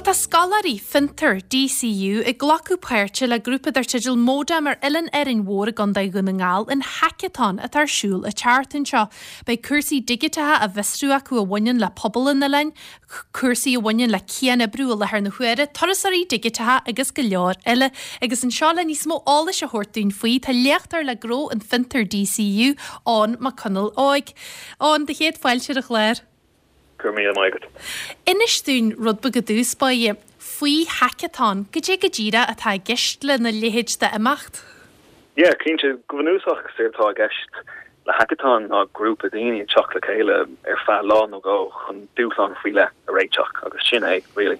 Tá scoláirí Fiontar, DCU, ag glacadh páirte le grúpa dar teideal Modem ar Oileán Árainn Mhór i gContae Dhún na nGall in haiceatón atá ar siúl an tseachtain seo. Beidh cúrsaí digiteacha á bhfiosrú acu a bhaineann le pobal an oileáin, cúrsaí a bhaineann le cianoibriú i láthair na huaire, turasóirí digiteacha agus go leor eile. Agus anseo le níos mó eolais a thabhairt dúinn faoi tá léachtóir le gnó in Fiontar DCU, Eoin Mac Conaill Óig. Eoin, do chéad fáilte ar an chlár. Go raibh míle maith agat. Inis dúinn rud beag i dtús báire faoi haiceatón, goidé go díreach atá i gceist lena leithéid d'imeacht? Yeah, cinnte. Go bunúsach, is éard atá i gceist le haiceatón ná grúpa daoine ag teacht le chéile ar feadh lá nó dhó chun dúshlán faoi leith a réiteach agus sin é, really.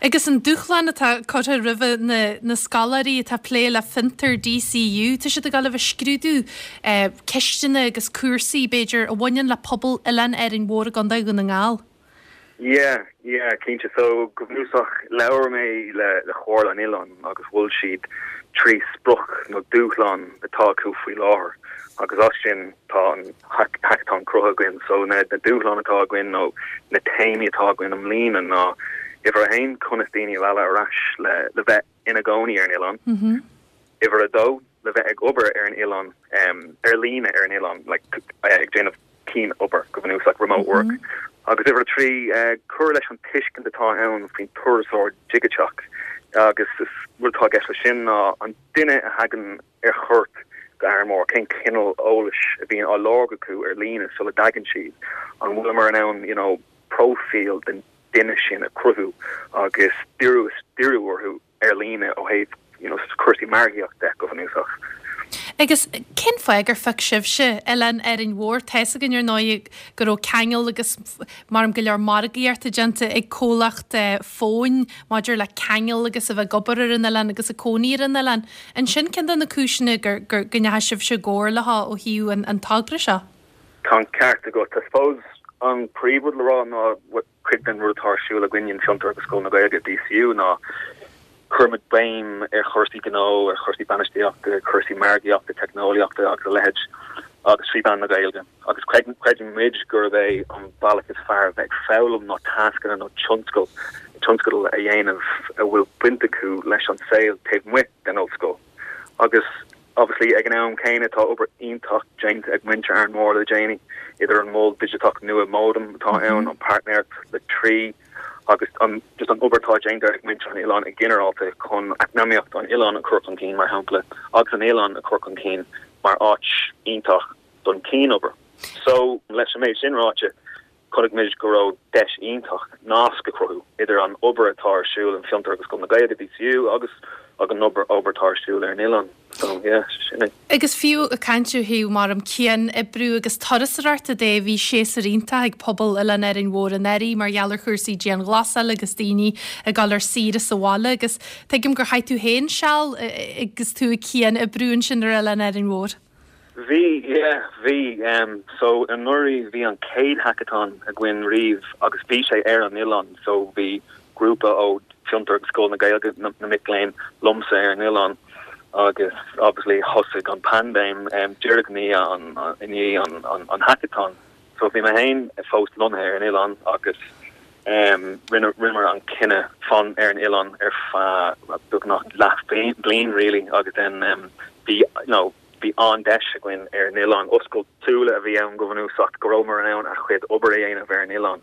Agus an dúshlán atá curtha roimhe na scoláirí atá ag plé le Fiontar DCU, tá siad ag dul a bheith ag scrúdú ceisteanna agus cúrsaí, b'fhéidir, a bhaineann le pobal Oileán Árainn Mhór i gContae Dhún na nGall. Yeah, yeah, cinnte. So, go bunúsach, labhair mé le Comhairle an Oileáin agus mhol siad 3 sprioc nó dúshlán atá acu faoi láthair agus as sin tá an haiceatón cruthaithe againn. So na dúshláin atá againn nó na téamaí atá againn i mbliana ná uimhir a haon, conas daoine a mhealladh ar ais le le bheith ina gcónaí ar an oileán, uimhir a dó, le bheith ag obair ar an oileán, ar líne ar an oileán, like ag déanamh cianobair go bunúsach, remote work, agus uimhir a 3, cur leis an tuiscint atá ann faoin turasóir digiteach agus is rud atá i gceist leis sin ná an duine a thagann ar chuairt go Árainn Mhór, cén cineál eolais a bhíonn á lorg acu ar líne sula dtagann siad, an bhfuileamar in ann you know próifíl den duine sin a chruthú agus díriú díriú orthu ar líne ó thaobh you know cúrsaí margaíochta de go bunúsach. Agus cén fáth gur phioc sibhse Oileán Árainn Mhór? Tá's againn ar ndóigh go raibh ceangal agus maram go leor margaíochta déanta ag comhlacht fóin maidir le ceangal agus a bheith ag obair ar an oileán agus ag cónaí ar an oileán. An sin ceann de na cúiseanna gur go ndeachaigh sibhse i gcomhar leo ó thaobh an togra seo? Tá an ceart agat. I suppose an príomhrud le rá ná cuid den rud atá ar siúl againn in Fiontar agus Scoil na Gaeilge, DCU, ná cuirimid béim ar chúrsaí gnó, ar chúrsaí bainistíochta, cúrsaí margaíochta, teicneolaíochta agus a leithéid agus trí mheán na Gaeilge. Agus creideann muid gurb é an bealach is fearr a bheith ag foghlaim ná tascanna nó tionscal, tionscadal a dhéanamh a bhfuil baint acu leis an saol taobh amuigh den ollscoil. Agus obviously ag an am céanna tá obair iontach déanta ag muintir Árainn Mhór le déanaí, idir an mol digiteach nua Modem atá ann, an páirtnéireacht le Three agus an just an obair atá déanta ag muintir an oileáin i ginearálta chun eacnamaíocht an oileáin a chur chun cinn mar shampla agus an oileán a chur chun cinn mar áit iontach don chianobair. So, leis an méid sin ráite, chonaic muid go raibh deis iontach nasc a chruthú idir an obair atá ar siúl in Fiontar agus Scoil na Gaeilge, DCU, agus an obair atá ar siúl ar an oileán. So, yeah, sin é. Agus fiú ag caint ó thaobh maram cian-oibriú agus turasóireachta de, bhí séasúr iontach ag pobal Oileán Árainn Mhór anuraidh mar gheall ar chúrsaí dianghlasála agus daoine ag dul ar saoire sa bhaile agus tuigim gur chaith tú féin seal agus tú ag cian-oibriú ansin ar Oileán Árainn Mhór. Bhí, yeah, bhí. So anuraidh bhí an chéad haiceatón againn riamh agus bhí sé ar an oileán. So bhí grúpa ó Fiontar agus Scoil na Gaeilge, na mic léinn, liomsa ar an oileán agus obviously thosaigh an paindéim díreach i ndiaidh i ndiaidh an haiceatón. So bhí mé féin fós lonnaithe ar an oileán agus rinne rinneamar an cinneadh fan ar an oileán ar feadh beagnach leath bliain really agus then bhí you know bhí an-deis againn ar an oileán. Oscailt súile a bhí ann go bunúsach go rabhamar in ann ár chuid obair a dhéanamh ar an oileán.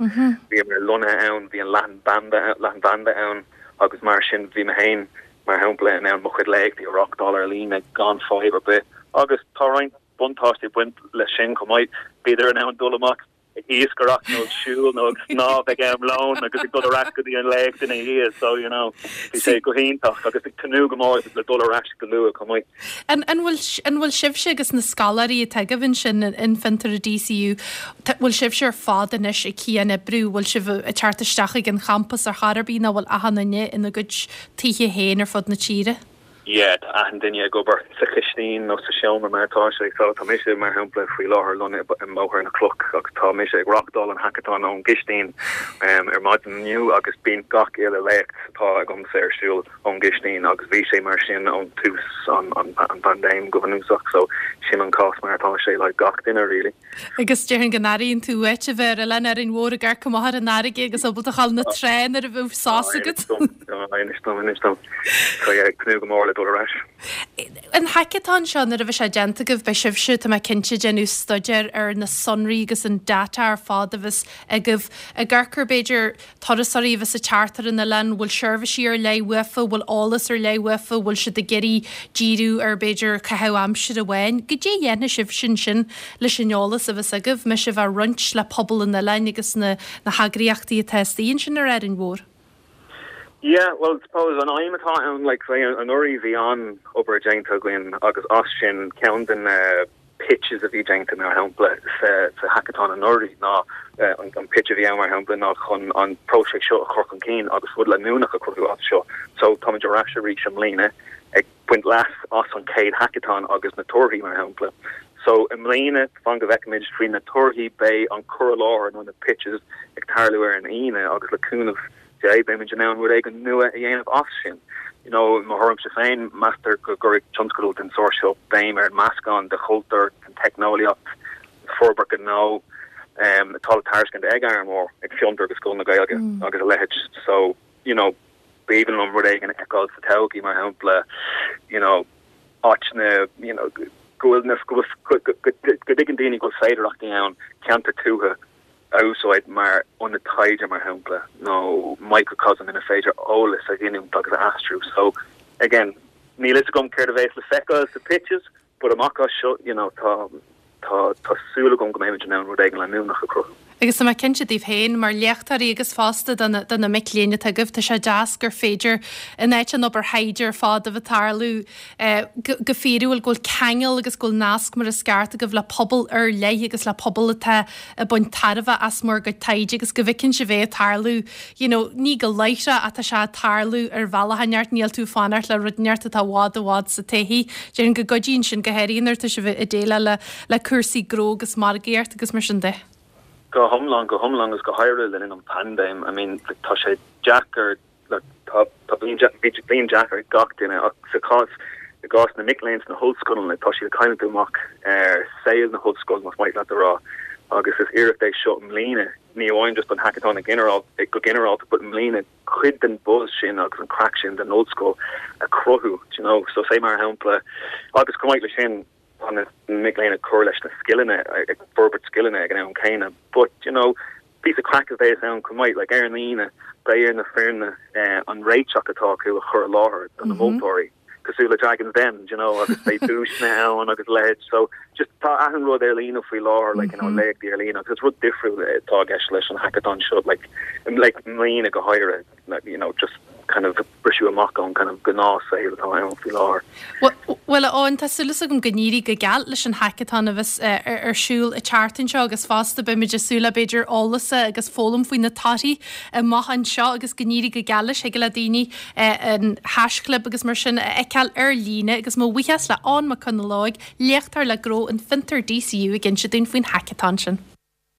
Bhíomar lonnaithe ann, bhí an leathanbhanda leathanbhanda ann agus mar sin bhí mé féin mar shampla in ann mo chuid léachtaí a reáchtáil ar líne gan fadhb ar bith agus tá roinnt buntáistí ag baint leis sin chomh maith. Bhíodar in ann dul amach ag iascaireacht nó ag siúl nó ag snámh ag am lóin agus ag dul ar ais go dtí an léacht ina dhiaidh so you know bhí sé go hiontach agus ag tnúth go mór le dul ar ais go luath chomh maith. An an bhfuil an bhfuil sibhse agus na scoláirí atá agaibh ansin in Fiontar i DCU, bhfuil sibhse ar fad anois ag cian-oibriú, bhfuil sibh ag teacht isteach ag an champas ar chor ar bith nó bhfuil achan duine ina gcuid tithe féin ar fud na tíre? Yeah, tá achan duine ag obair sa chistín nó sa seomra mar atá sé. So tá mise, mar shampla, faoi láthair lonnaithe i mBóthar na Cloch agus tá mise ag reáchtáil an hackathon ón gcistín ar maidin inniu agus bíonn gach uile léacht atá agamsa ar siúl ón gcistín agus bhí sé mar sin ón tús an an phaindéim go bunúsach. So sin an cás mar atá sé le gach duine really. Agus déarfainn go n-airíonn tú uait a bheith ar Oileán Árainn Mhór ag amharc amach ar an fharraige agus ábalta a ghabháil na trá nuair a bheadh sos agat. Inis dom, inis dom. Tá ag tnúth go mór le dul ar ais. An hackathon seo, nuair a bheidh sé déanta agaibh, beidh sibhse, tá mé cinnte, ag déanamh staidéir ar na sonraí agus an data ar fad a bheas agaibh. Ag amharc ar, b'fhéidir, turasóirí a bheas ag teacht ar an oileán, bhfuil seirbhísí ar leith uafa, bhfuil eolas ar leith uafa, bhfuil siad ag iarraidh díriú ar b'fhéidir caitheamh aimsire amháin. Goidé a dhéanfaidh sibhse ansin leis an eolas a bheas agaibh, mbeidh sibh á roinnt le pobal an oileáin agus na na heagraíochtaí atá istigh ansin ar Árainn Mhór? Yeah, well suppose an aidhm atá ann, like anuraidh bhí an-obair déanta againn agus as sin ceann de na pitches a bhí déanta, mar shampla, sa hackathon anuraidh ná an pitch a bhí ann, mar shampla, ná chun an próiseas seo a chur chun cinn agus rud leanúnach a chruthú as seo. So táimid ar ais arís i mbliana ag baint leas as an chéad hackathon agus na torthaí, mar shampla. So i mbliana, fan go bhfeicfimid faoi na torthaí, beidh an cur i láthair nó na pitches ag tarlú ar an Aoine agus le cúnamh Dé, beimid in ann rud éigin nua a dhéanamh as sin. You know, i mo thuairimse féin, meastar go gcuirfidh tionscadal den sórt seo béim ar an meascán de chultúr, den teicneolaíocht, forbairt gnó atá le tairiscint ag Árainn Mhór, ag Fiontar agus Scoil na Gaeilge agus a leithéid. So, you know, b'aoibhinn liom rud éigin a fheiceáil sa todhchaí, mar shampla, you know, áiteanna, you know, go bhfuil na, go bhfuil, go dtuigeann daoine go bhfuil féidearthachtaí ann, ceantar tuaithe, a úsáid mar ionad taighde, mar shampla, nó microcosm ina féidir eolas a ghiniúint agus a aistriú. So, again, níl fhios agam céard a bheas le feiceáil sa pitches, but amach as seo, you know, tá, tá, tá súil agam go mbeimid in ann rud éigin leanúnach a chruthú. Agus tá mé cinnte daoibh féin, mar léachtóirí agus fosta do na, do na mic léinn atá agaibh, tá sé deas gur féidir, in áit an obair thaighde ar fad a bheith ag tarlú, go fíorúil, go bhfuil ceangal agus go bhfuil nasc mar is ceart agaibh le pobal ar leith agus le pobal atá ag baint tairbhe as bhur gcuid taighde agus go bhfeiceann sibh é ag tarlú, you know, ní go láithreach ach tá sé ag tarlú ar bhealach inteacht, níl tú ag fanacht le rud inteacht atá i bhfad i bhfad sa todhchaí. Déarfainn go gcuidíonn sin go háirithe nuair atá sibh ag déileáil le le cúrsaí gnó agus margaíocht agus mar sin de. Go hiomlán, go hiomlán agus go háirithe le linn an phaindéim, I mean, tá sé deacair Look, tá, tá bliain, bhí bliain deacair ag gach duine ach sa chás, i gcás na mic léinn sna hollscoileanna, tá siad ag cailliúint amach ar saol na hollscoile, más maith leat a rá, agus is iarracht é seo i mbliana, ní amháin just an hackathon i ginearál, go ginearálta, but i mbliana cuid den buzz sin agus an craic sin den ollscoil a chruthú, do you know. So say mar shampla, agus chomh maith leis sin, tá na mic léinn ag cur leis na scileanna, ag forbairt scileanna ag an am céanna, but, you know, Píosa craic a bheas ann chomh maith, like ar an Aoine beidh ar na foirne an réiteach atá acu a chur i láthair do na moltóirí, cosúil le Dragon's Den, do you know, agus beidh duaiseanna ann agus a leithéid. So just tá achan rud ar líne faoi láthair, like, you know, léachtaí ar líne agus is rud difriúil atá i gceist leis an hackathon seo, like, like i mbliana go háirithe. you know, just kind of briseadh amach ón kind of gnáthshaol atá ann faoi láthair. Bhuel, a Eoin, tá súil agam go n-éirí go geal leis an hackathon a bheas ar siúl an tseachtain seo agus fosta beimid ag súil le b'fhéidir eolas agus foghlaim faoi na torthaí amach anseo agus go n-éirí go geal leis. Thig le daoine an haischlib agus mar sin a fheiceáil ar líne agus mo bhuíochas le Eoin Mac Conalóig, léachtóir le Gnó in Fiontar DCU ag inse dúinn faoin hackathon sin.